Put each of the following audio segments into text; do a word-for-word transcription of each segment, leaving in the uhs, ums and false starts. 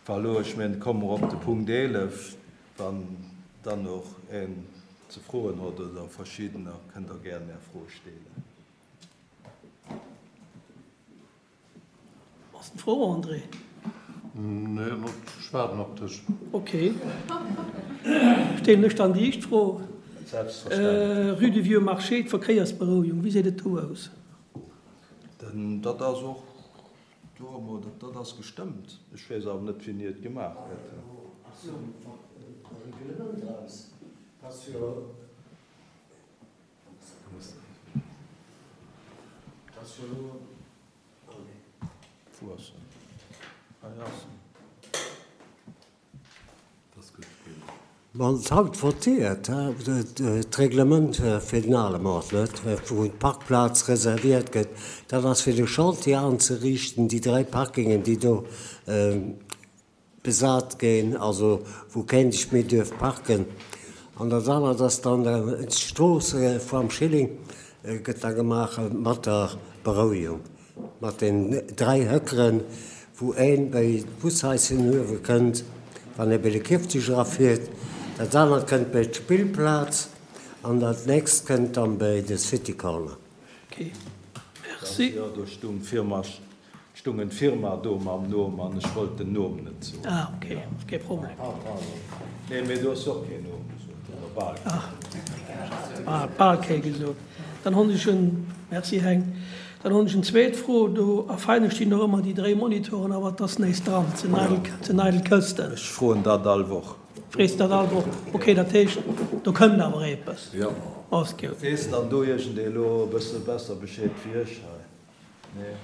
Enfin elo, ech mengen, komme mer op de Punkt eelef, wann dann och een ze froen huet oder verschiddener, kënnt Der gären Är Fro stellen. Ass eng Fro, André? Nee, ech waarden op dech. Ok. Stellen ech dann déi éischt Fro. Selbstverständlech. Rue du Vieux Marché, d'Verkéiersberouegung, wéi seet et do aus? Dat ass och do emol, dat ass gestëmmt. Ech weess awer net, wéini et gemaach gëtt. Wou ass en? Hei ass en. Wann et haut votéiert, d'Reglement fir den Alemort, net, wou d'Parkplaz reserviert gëtt, dat ass fir de Chantier anzeriichten, déi dräi Parkingen, déi do besat ginn, also wou keen sech méi duerf parken. An dat anert ass dann d'Strooss vam Schilling gëtt da gemaach mat der Berouegung, mat den dräi Höckeren, wou een bei d'Bushaischen uewe kënnt, wann ee bei de Kierfzeg erafiert, dat anert kënnt bei d'Spillplaz an dat nächst kënnt dann bei de City Corner. Ok, merci. Jo, do stung d'Firma, stung en Firma do mam Nom an ech wollt den Nom net soen. Ah, ok, kee Problem. Nee, mee do ass och keen Nom gesot, oder bal keen. Ah, bal kee gesot. Dann hunn ech en, merci Heng, dann hunn ech en zweet Fro. Do a Veinen stinn och ëmmer déi dréi Monitoren, awer et ass nees dran, et sinn eidel, et sinn eidel Kësten. Ech froen dat all Woch. Frees dat all Woch? Ok, dat heescht, do kënnt awer eppes? Jo. Ass gutt. Weess dann do iergendee elo e bësse besser Bescheed wéi ech hei? Nee.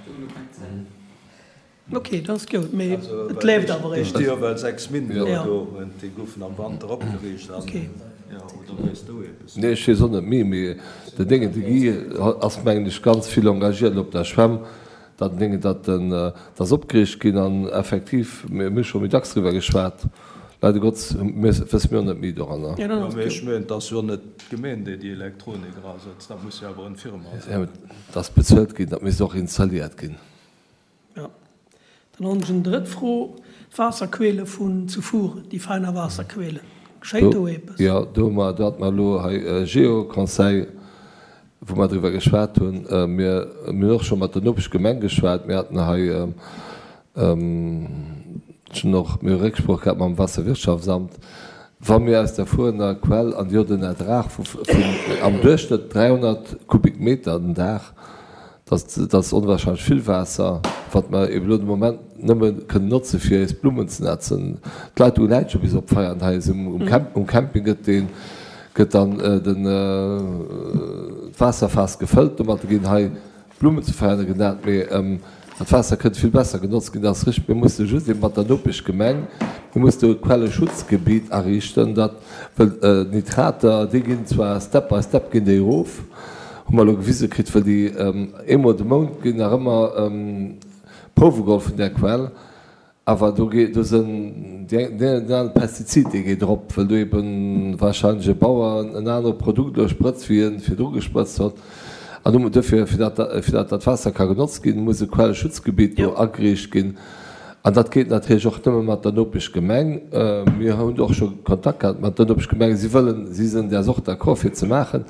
Ok, dat ass gutt, mee et leeft awer Déi eppes. sti jo well sechs Minutten Ja. do, déi goufen am Wanter opgeriicht an, Ok. jo, oder weess du eppes? Nee, ech weess och net méi, mee den Déngen, de Guy ass mengen ech ganz vill engagiert op der Schwämm, datt den Déngen, datt den, dat ass opgeriicht ginn an effektiv, mir hu scho méi dacks driwwer geschwat, leider Gottes wësse mir och net méi doranner. Ja, dann Jo, ass mee gutt. ech mengen, et ass jo net d'Gemeen, déi déi Elektronik erasetzt, dat muss jo awer en Firma sinn. Ja, mee dat ass bezuelt ginn, dat misst och installiert ginn. Ja. Dann hunn ech eng drëtt Fro, D'Waasserquelle vun zu Furen, déi feiner Waasserquellen, geschéit do eppes? Jo, do hu mer, do hate mer elo hei e Geo-Conseil, wou mer driwwer geschwat hunn. Mir hunn och scho mat der Nopeschgemeng geschwat. Mir haten hei schonn och, mir hu Récksprooch gehat mam Waasserwirtschaftsamt. Wa mir aus der Furener Quell an déi huet en Ertrag vu am Duerchschnëtt dräihonnert Kubikmeter den Dag, Dat ass onwahrscheinlech vill Waasser, wat mer eben elo de Moment nëmme kënnen notze fir eis Blummen ze nätzen. D'Leitung läit scho bis op Veianen hei. Um Camping gëtt dee gëtt dann den d'Waasserfaass gefëllt. Domatter ginn hei d'Blummen zu Veianen genat. Mee dat Waasser kënnt vill besser genotzt ginn. Dat ass richteg. Mir musse just eben mat der Nopeschgemeng, mir mussen do e Quelleschutzgebiet ariichten, dat well d'Nitrater, déi ginn zwar step by step ginn déi erof, Hu mer elo gewise kritt, well déi eemol de Mount ginn nach ëmmer Prouwe geholl vun där Quell, awer do geet, do sënn déi eng, deen anere Pestizid, dee geet erop, well do eben wahrscheinlech e Bauer en anere Produkt elo sprëtzt, wéi en virdru gesprëtzt huet. An do, duerfir, fir dat, fir dat dat Waasser ka genotzt ginn, muss e Quelleschutzgebiet do ageriicht ginn. An dat geet natierlech och nëmme mat der Nopeschgemeng. Mir hunn och scho Kontakt gehat mat der Nopeschgemeng. Si wëllen, si sinn däers och d'accord fir ze maachen.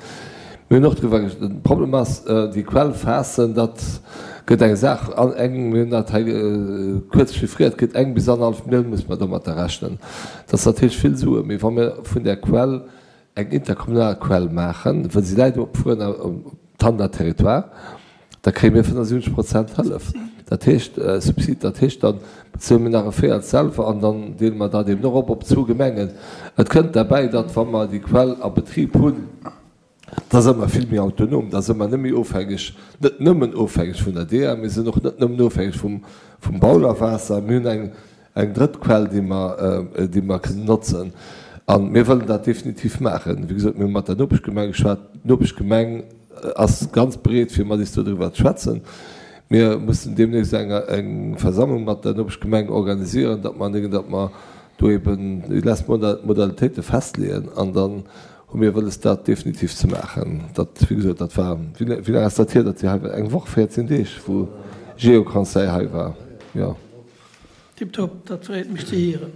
Mir hunn och driwwer gesch-, de Problem ass, déi Quellfaassen, dat gëtt eng Saach, an eng, mir hunn dat hei kuerz chiffriert, gëtt eng bis annerhallef Millioun muss mer domatter rechnen. Dat ass natierlech vill Suen, mee wa mir vun där Quell eng interkommunal Quell maachen, well si läit op Fuener, um Tandler Territoire, da kréie mir fënnefundsiwwenzeg Prozent Hëllef, dat heescht Subsid, dat heescht, da bezuele mir nach e Véierel selwer an dann deele mer dat eben och op op zwou Gemengen. Et kënnt derbäi, datt wa mer déi Quell a Betrib hunn, da si mer vill méi autonom, da si mer net méi ofhängeg, net nëmmen ofhängeg vun der D E A, mir sinn och net nëmmen ofhängeg vum vum Baulerwaasser, mir hunn eng eng drëtt Quell, déi mer déi mer kënnen notzen. A mir wëllen dat definitiv maachen. Wéi gesot, mir hu mat der Nopeschgemeng geschwat. D'Nopeschgemeng ass ganz bereet, fir mat is dodriwwer ze schwätzen. Mir mussen deemnächst eng eng Versammlung mat der Nopeschgemeng organisieren, datt mer, datt mer do eben déi lesst Modalitéite festleeën an dann hu mir wëlles, dat definitiv ze maachen. Dat, wéi gesot, dat war, wéi laang ass dat hier, datt Dir hei waart? Eng Woch, véierzehn Deeg, wou Geoconseil hei war, jo. Tiptop, dat freet mech ze hieren.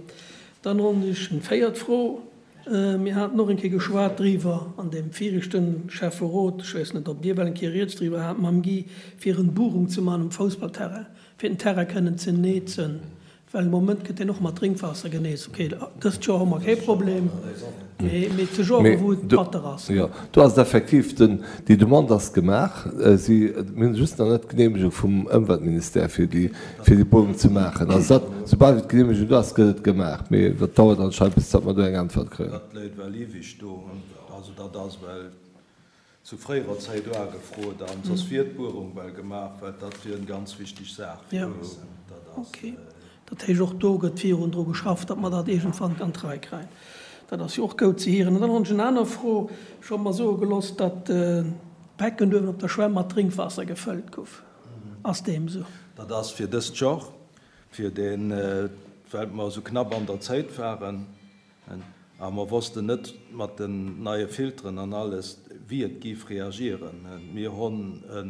Dann hunn ech eng véiert Fro. Mir haten och eng Kéier geschwat driwwer an deem viregte Schäfferot, ech weess net, ob Dir well eng Kéier rieds driwwer hat mam Guy, fir en Buerung ze man um Foussballterrain, fir den Terrain kënnen ze neezen. Well am Moment gëtt deen och mat Drénkwaasser geneest. Ok, dëst Joer hu mer kee Problem, mee mee zu Joren, wou et batter ass. Jo, do ass et effektiv, den, déi Demande ass gemaach. Si, mir hunn just nach net d'Geneemegung vum Ëmweltministère, fir déi, fir déi Buerung ze maachen. Also dat, soubal wéi d'Geneemegung do ass, gëtt et gemaach. Mee dat dauert anscheinend, bis datt mer do eng Äntwert kréien. Dat léit well iwweg do. Also dat ass well zu fréierer Zäit uagefrot an soss wier d'Buerung well gemaach, well dat wier en ganz wichteg Saach fir eis. Dat ass. Ok. Dat heescht, och do gëtt virun dru geschafft, datt mer dat iergendwann an d'Rei kréien. Dat ass jo och goud ze hieren. An dann hunn ech en aner Fro. Ech hu mer soe gelooss, datt d'Becken uewen op der Schwämm mat Drénkwaasser gefëllt gouf. Ass deem esou? Dat ass fir dëst Joer, fir deen, well mer esou knapp an der Zäit waren. A mer wossten net mat den neie Filteren an alles, wéi et géif reagieren. Mir honn e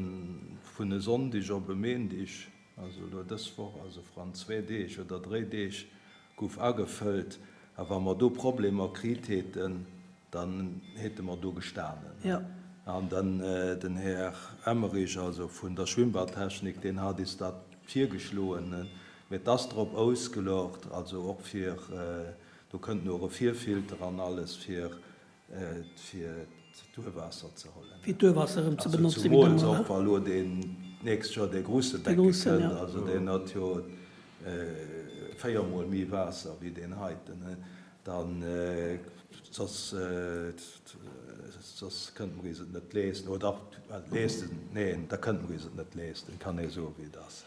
vun e Sonndig op e Méindig, also elo dës Woch, also vrun zwee Deeg oder dréi Deeg, guff agefëllt. A wa mer do Problemer kriit häten, dann häte mer do gestanen. An dann den Här Emmerich, also vun der Schwimmbadtechnik, deen hat is dat virgeschloen. Mee et ass drop ausgelocht, also och fir Do kënnt no e Virfilter an alles fir fir d'Duerwaasser ze hollen. Fir d'Duerwaasser erëm ze benotzen. Zumools och wa lo deen d'nächst Joer dee grusse Becke kënnt, also deen huet jo véier mol méi Waasser wéi deen heiten, dann soss soss kënnte mer is et net leesten, oder leesten, neen, da kënnte mer is et net leesten, kann ee soe wéi et ass.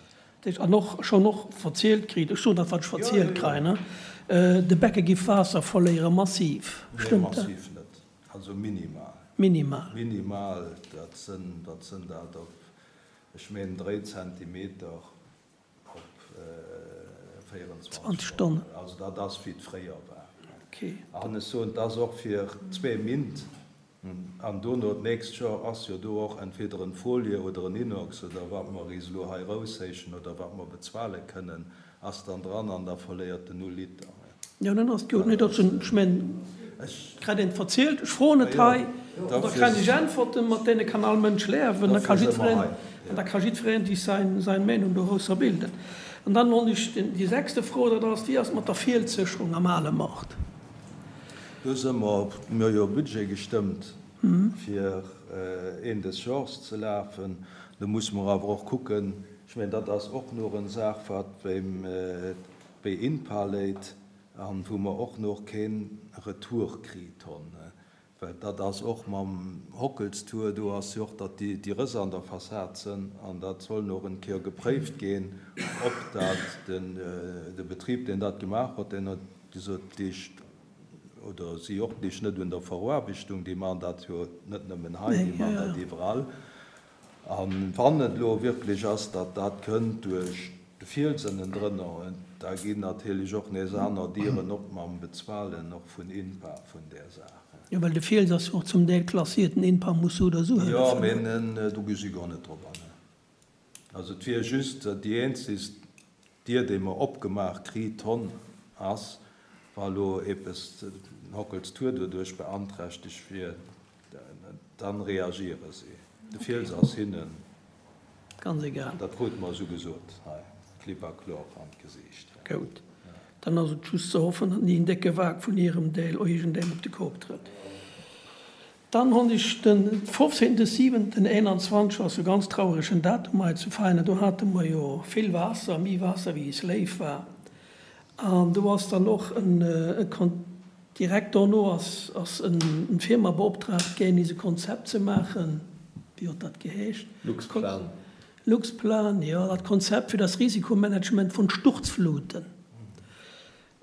An och schonn och verzielt kritt, ech soen dat, wat ech verzielt kréien, de Becke giff Waasser verléieren, massiv. Nee, Stëmmt dat? massiv net. Also minimal. Minimal. Minimal, dat sënn, wat sënn dat op, ech meen dréi Zentimeter op véierenzwanzeg Stonnen. Also dat ass wéi et fréier war. Okay. An ech soen, et ass och fir zwee Mint. An dono d'nächst Joer ass jo do och entweder en Folie oder en Inox oder wat mer is elo hei eroushéichen oder wat mer bezuale kënnen, ass dann dran an da verléiert en null Liter. Jo, dann ass et gutt. Nee, dat sinn, ech mengen, et krit een et verzielt. Ech froen et hei an da kréien ech Äntwerten, mat deene kann all Mënsch leawen. Da ka jiddwereen, an da ka jiddwereen sich sein, sein Meinung dorausser bilden. An dann hunn ech déi sechste Fro, dat ass, Wéi ass et mat der Fielssécherung am Ale Mord? Do si mer, mir hu jo e Budget gestëmmt, fir een des Genres ze lafen. Do musse mer awer och kucken, ech mengen, dat ass och nach en Saach, wat beim, bei INPA léit an wou mer och nach kee Retour kritt hunn. Well dat ass och mam Hockelstour, do ass jo och, datt déi Rëss an der Fassad sënn an dat soll nach en Kéier gepréift ginn, ob dat den, de Betrib, deen dat gemaach huet, deen huet gesot, déi oder si och lich net un der Veroarbechtung, déi maachen dat jo net nëmmen hei, déi maachen dat iwwerall. A wann et elo wierklech ass, datt dat kënnt duerch de Fiels ënnendrënner, da ginn natierlech och nees aner Dieren op mam Bezuelen och vun INPA vun där Saach. Jo, well de Fiels ass jo och zum Deel klassiert, den INPA muss sou oder sou hëllefen. Jo, mee do gi si guer net drop an. Also et wier just déi eenzegst Dier, déi mer opgemaach kriit honn, ass, wa elo eppes den Hockels Tour doduerch beanträchtegt wier, dann reagiere si. De Fiels ass hinnen, Ganz egal. Dat krute mer esou gesot hei, klipp a klor an d'Gesiicht. Goud. Dann ass et just ze hoffen, datt ni en décke Wak vun hirem Deel iergendengem op de Kop trëtt. Dann hunn ech den fofzéngten siwenten eenanzwanzeg, ass e ganz trauregen Datum hei zu Veinen, do hate mer jo vill Waasser, méi Waasser wéi is léif war. An do ass dann och en, direkt dono ass ass en Firma beoptraagt ginn, is e Konzept ze maachen, wéi huet dat geheescht? Luxplan. Luxplan, jo, dat Konzept fir das Risikomanagement von Sturzfluten.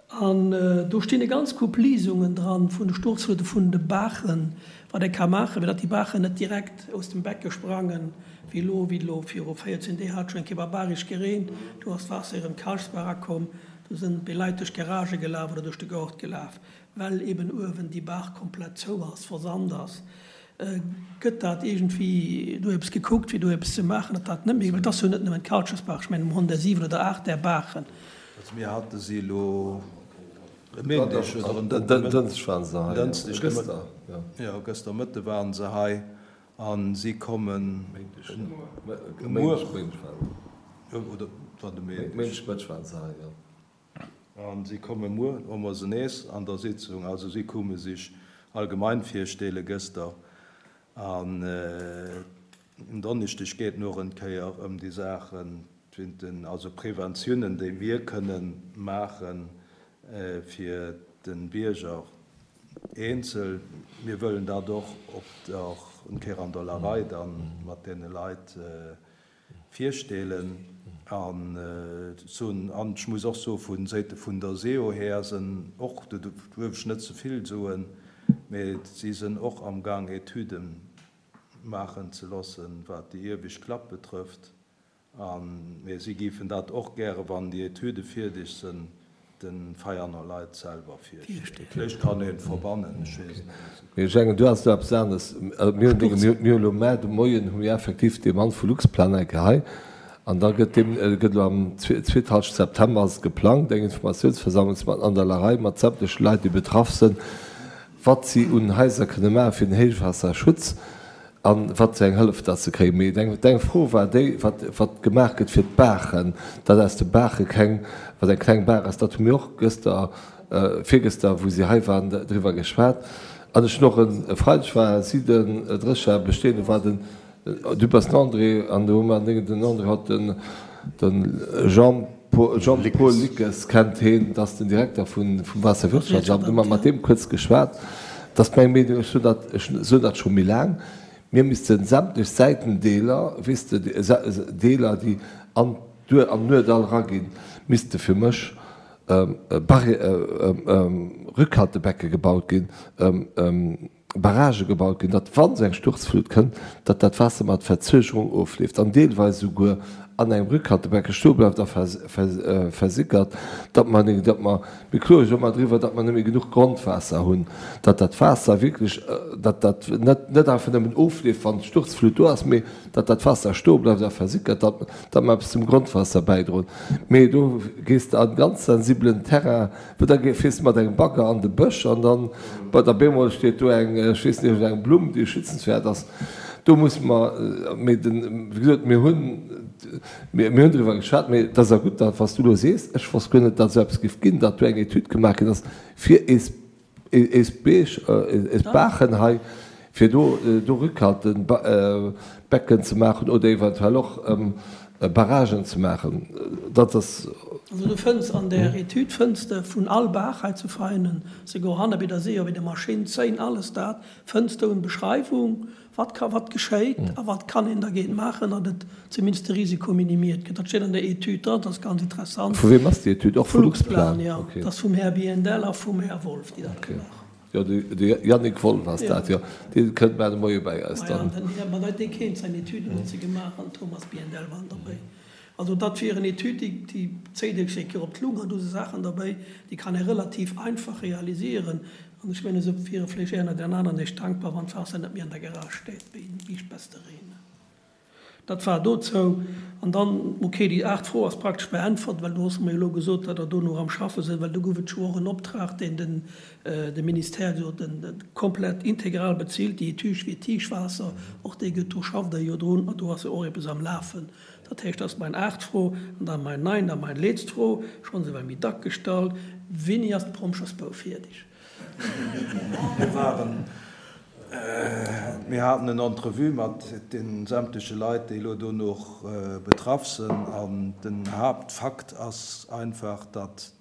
An do stinn e ganz Koup Liesungen dran vun de Sturzflute vun de Baachen, wat ee ka maachen, fir datt déi Baachen net direkt aus dem Becke sprangen, wéi elo, wéi elo viru véierzehn Deeg hat et schonn eng Kéier barbaresch gereent, do ass d'Waasser erëm d'Kalchsbaach erakomm, do sinn déi Leit duerch d'Garagë gelaf oder duerch de Gaart gelaf, well eben uewen déi Baach komplett zou ass, versand ass. Gëtt dat iergendwéi do eppes gekuckt, fir do eppes ze maachen, datt dat net méi, well et ass jo net nëmmen d'Kalchesbaach, ech mengen, mer hunn der siwen oder aacht där Baachen. Also mir hate si elo e Méindeg oder en Dënschdeg waren se hei. Dënschdeg Gëster, jo. Jo, gëster Mëtte waren se hei a si kommen muer. Oder war de Méindeg? Méindeg Mëtteg waren se hei, jo. A si komme muer, hu mer se nees an der Sitzung. Also si koume sech allgemein virstelle gëster. An en Donneschdeg geet nach eng Kéier ëm déi Saachen, also Preventiounen, déi mir kënnen maachen fir de Bierger eenzel. Mir wëllen dat och op der eng Kéier an der Larei dann mat deene Leit virstellen. An soen, an ech muss och soen, vu Säite vun der SEO her sinn och, do duerf ech net ze vill soen, mä si sinn och amgaang Etüden maachen ze loossen, wat déi iewescht Klapp betrëfft. An, mä si géifen dat och gäre, wann déi Etüde fierdeg sinn, de Veianer Leit selwer virstellen. Vläicht kann een et verbannen, ech weess et net. Mee ech mengen, do ass elo eppes anescht. Mir hunn dee, mir hunn elo mar de Moien hu mir effektiv dee Mann vu Luxplan eng Kéier hei. An da gëtt deem, gëtt elo am zweet Halschent September ass et geplangt, eng Informatiounsversammlung ze maachen an der Larei mat sämtleche Leit, déi betraff sinn, wat si un Haiser kënne maache fir den Héichwaasserschutz an wat fir eng Hëllef datt se kréien. Mee deng, deng Fro war déi, wat, wat gemaach gëtt fir d'Baachen, datt aus de Baache keng, wat eng kleng Baach ass, dat hu mir och gëster, virgëster, wou si hei waren, driwwer geschwat. An ech hunn och e Freideg war si den Drécher bestehen, do war den, du bass den André, an do hu mer den André haut den, den Jean, Jean-Paul Lickes kennt heen, dat ass den Direkter vun, vum Waasserwirtschaftsamt, hu mer mat deem kuerz geschwat. Dat ass meng Meenung, ech soen dat, ech soen dat scho méi laang, mir misste sämtlech Säitendeeler, weess de, Deeler, déi an d'Duer, an Nuedall eraginn, misste fir mech Rückhaltebecke gebaut ginn, Barragë gebaut ginn, datt, wa sou eng Sturzflut kënnt, datt dat Waasser mat Verzögerung ofleeft an deelweis esouguer an engem Rückhaltebecke stoe bleift a versickert, datt mer, datt mer, mir kloe jo ëmmer driwwer, datt mer net méi genuch Grondwaasser hunn, datt dat Waasser wierklech, datt dat net, net einfach nëmmen ofleeft, wann d'Sturzflut do ass, mee datt dat Waasser stoe bleift a versickert, datt, datt mer eppes zum Grondwaasser bäidroen. Mee do gees de an ganz sensibelen Terrain, wou da fiers de mat engem Bagger an de Bësch an dann, bei der bemol steet do eng, ech weess net, eng Blumm, déi schützenswäert ass. Do musse mer, mee den, wéi gesot, mir hunn, mir, mir hunn driwwer geschwat, mee dat ass a gutt, dat wat s du elo sees, ech wosst guer net, datt esou eppes géif ginn, datt do eng Etüd gemaach ginn ass fir eis, eis Beech, eis Baachen hei, fir do, do Rückhaltebecken ze maachen oder eventuell och Barragen ze maachen. Dat ass. Also du fënns an där Etüd fënns de vun all Baach hei zu Veinen, souguer hanne bei der Seeër, bei der Maschinn, Zéin, alles dat, fënns du eng Beschreiwung, wat ka, wat geschéit a wat kann een dergéint maachen, datt et zumindest de Risiko minimiert gëtt. Dat steet an der Etüd dran, dat ass ganz interessant. Vu weem ass déi Etüd? Och vu Luxplan? Luxplan, jo. Dat ass vum Här Biendel a vum Här Wolff, déi dat gemaach hunn. Jo, de Yannick Wolff ass dat, jo. Dee kënnt mar de Moie bäi eis dann. Maja, den Här, ma dee kéint seng Etüden huet se gemaach an Thomas Biendel waren derbäi. Also dat wier en Etüd, déi, déi zéit Iech eng Kéier op d'Lung an do si Saachen derbäi, déi kann ee relativ einfach realisieren. An ech mengen, se wiere vläicht einer den aneren Iech dankbar, wann d'Waasser net méi an der Garage steet wéi Biischbester Reen. Dat war dozou. An dann, okay, déi aacht Fro ass praktesch beäntwert, well du hues mer jo elo gesot, datt Der do nach am Schaffe sidd, well do gouf et scho och en Optrag, deen den de Ministère jo den komplett integral bezilt, déi Etüd fir d'Tiichwaasser, och déi gëtt, do schafft Der jo drun an do ass jo och eppes am Lafen. Dat heescht, dat ass mein aacht Fro. An dann mein nein, dann mein letzte Fro, schonns ewell méi dack gestallt, Wéini ass de Promschersbou fierdeg? Mir waren, mir haten en Entrevue mat de sämtleche Leit, déi elo do nach betraff sinn. An den Haaptfakt ass einfach, datt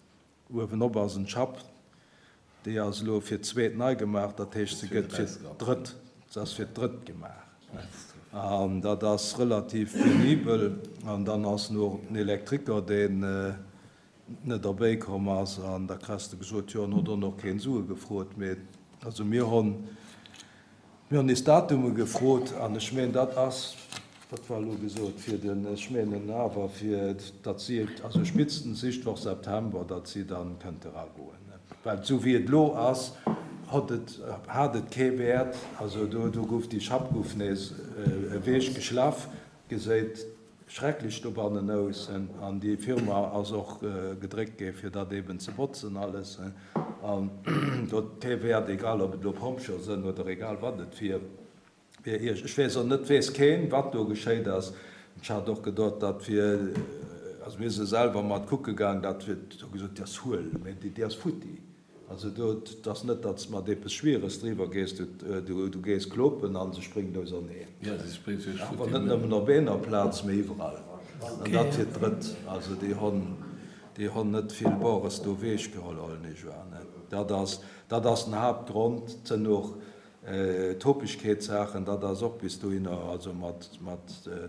uewenop ass en Schapp, déi ass elo fir d'zweet nei gemaach, dat heescht, se gëtt fir d'drëtt, se ass fir d'drëtt gemaach. An dat ass relativ penibel. An dann ass nach den Elektriker, deen net erbäi komm ass. An da kriss de gesot, jo, en huet och nach keen Sue gefrot. Mee also mir hunn, mir hunn nees Datume gefrot. An ech mengen, dat ass, wat war elo gesot, fir den, ech mengen awer fir, datt si, also spitstens éischt Woch September, datt si dann kënnte eragoen. Well esou wéi et elo ass, hott et, hat et kee Wäert. Also do, do gouf déi Schapp gouf nees ewechgeschlaff, geséit schrecklech dobannen aus an déi Firma ass och gedréckt gi fir dat eben ze botzen alles an do huet kee Wäert, egal ob et elo Pompjeeë sënn oder egal wat et wier. Ech weess och net, weess keen, wat do geschéit ass. Ech hat och gedot, dat wier, also mir si selwer mat kucke gaang, dat wier, hu gesot, déi ass huel, mä déi ass futti. Also do, 't ass net, datt s mat eppes Schwieres driwwer gees, du gees klopen a se spréngt auserneen. Awer net nëmmen op eener Plaz, mee iwwerall. An dat fir d'drëtt. Also déi honn, déi honn net vill Bores do ewech geholl, hollen ech un. Dat ass, dat ass den Haaptgrond. 't sënn och D'Topegkeetssaachen, dat ass och bis dohinner, also mat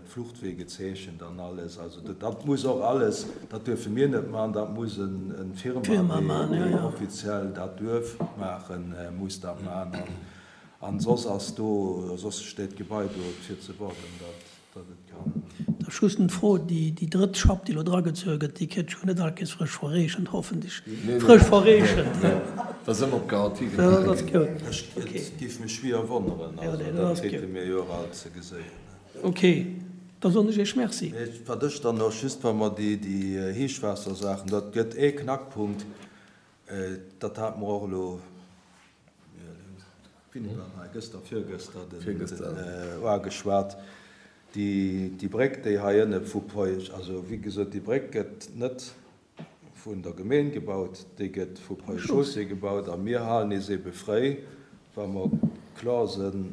d'Fluchtwee gezeechent an alles. Also dat muss och alles, dat duerfe mir net maachen, dat muss en Firma, déi offiziell dat duerf maachen, muss dat maachen. An soss ass do, soss steet d'Gebai do fir ze warden, dat. datt et kann. Da just eng Fro, déi drëtt Schapp, déi elo dragezuewe gëtt, déi kritt jo net all Kees frësch verreechent, hoffentlech frësch verreechent. Da si mer op Garantie gemaach ginn. Et géif mech schwier wonneren, also dat krite mir jo och alt ze geséien. Ok, da soen ech Iech Merci. Wat ech dann och just, wa mer déi Héichwaassersaachen, dat gëtt ee Knackpunkt, dat hate mer och elo, Wéini war hei? Gëschter, virgëschter den uageschwat. Déi Bréck, déi hei ënne vu Peuech, also wéi gesot, déi Bréck gëtt net vun der Gemeen gebaut, déi gëtt vu Ponts et Chaussées gebaut a mir halen eis ebe fréi, wa mer kloer sinn,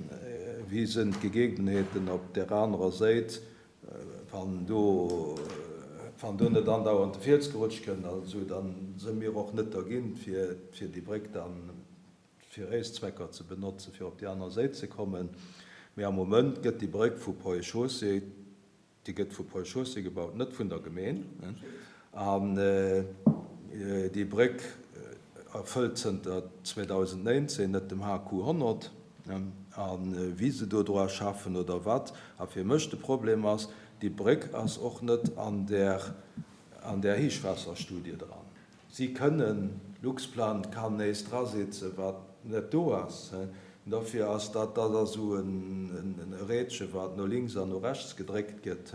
wéi sinn d'Gegebenheeten op där anerer Séit, wann do, wann do net andauernd de Fiels gerutscht kënnt an esou, da si mir och net dergint, fir déi Bréck dann fir éis Zwecker ze benotzen, fir op déi aner Séit ze kommen. Mee am Moment gëtt déi Bréck vu Ponts et Chaussées, déi gëtt vu Ponts et Chaussées gebaut, net vun der Gemeen. An déi Bréck erfëllt zënter zweedausendnéinzehn net dem H Q honnert. A wéi se do dra schaffen oder wat. A fir mech de Problem ass, déi Bréck ass och net an där an där Héichwaasserstudie dran. Si kënnen, Luxplan kann nees drasitzen, wat net do ass. Dofir ass dat, dat ass esou e Rädche wat no links an no rechts gedréckt gëtt.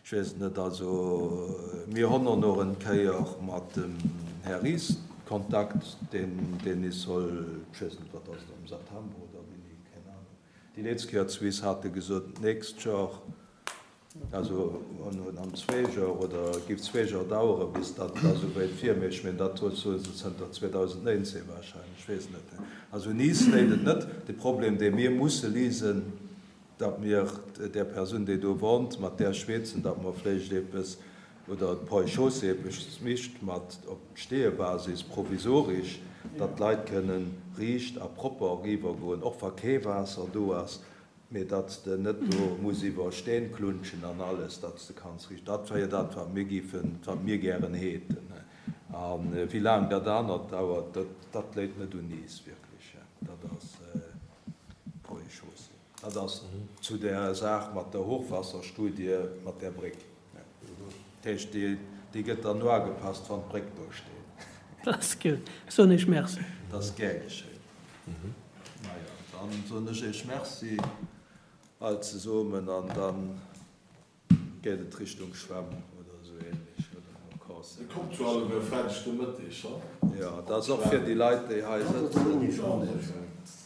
Ech weess et net. Also mir honn och nach en Kéier mat dem Här Ries Kontakt, deen, deen is soll, ech weess net, wat ass et, am September oder wéini, keng Ahnung. Déi letzt Kéier zu is hat e gesot, d'nächst Joer. Also an zwee Joer oder et géif zwee Joer dauere bis datt et esou wéit wier. Mee ech mengen, dat soe se zënter zweedausendnéinzehn wahrscheinlech, ech weess net. Also un is léit et net. De Problem, dee mir musse lisen, datt mir där Persoun, déi do wonnt, mat där schwätzen, datt mer vläicht eppes, oder d'Ponts et Chaussées eppes micht mat op Steeëbasis provisorisch, datt d'Leit kënnen riicht a propper eriiwergoen, och wa kee Waasser do ass. Mee datt s de net do muss iwwer Steen klunschen an alles, datt s de kanns riicht. Dat wier dat, wat mir géifen, wat mir gären häten. A wéi laang dat anert dauert, dat, dat léit net un iis wierklech. Dat ass Ponts et Chaussées. Dat ass zu där Saach mat der Hochwasserstudie mat där Bréck. Dat heescht, déi, déi gëtt dann no agepasst, wann d'Bréck do steet. Dat ass gutt. Soen ech Merci. Dat ass gär geschéien. Majo, dann soen ech Iech Merci all zesummen an dann geet et Richtung Schwämm oder esou ähnlech oder no Corse. Dir kommt jo alleguer e Freideg de Mëtteg, ha? Jo, dat ass och fir déi Leit, déi hei sëtzen.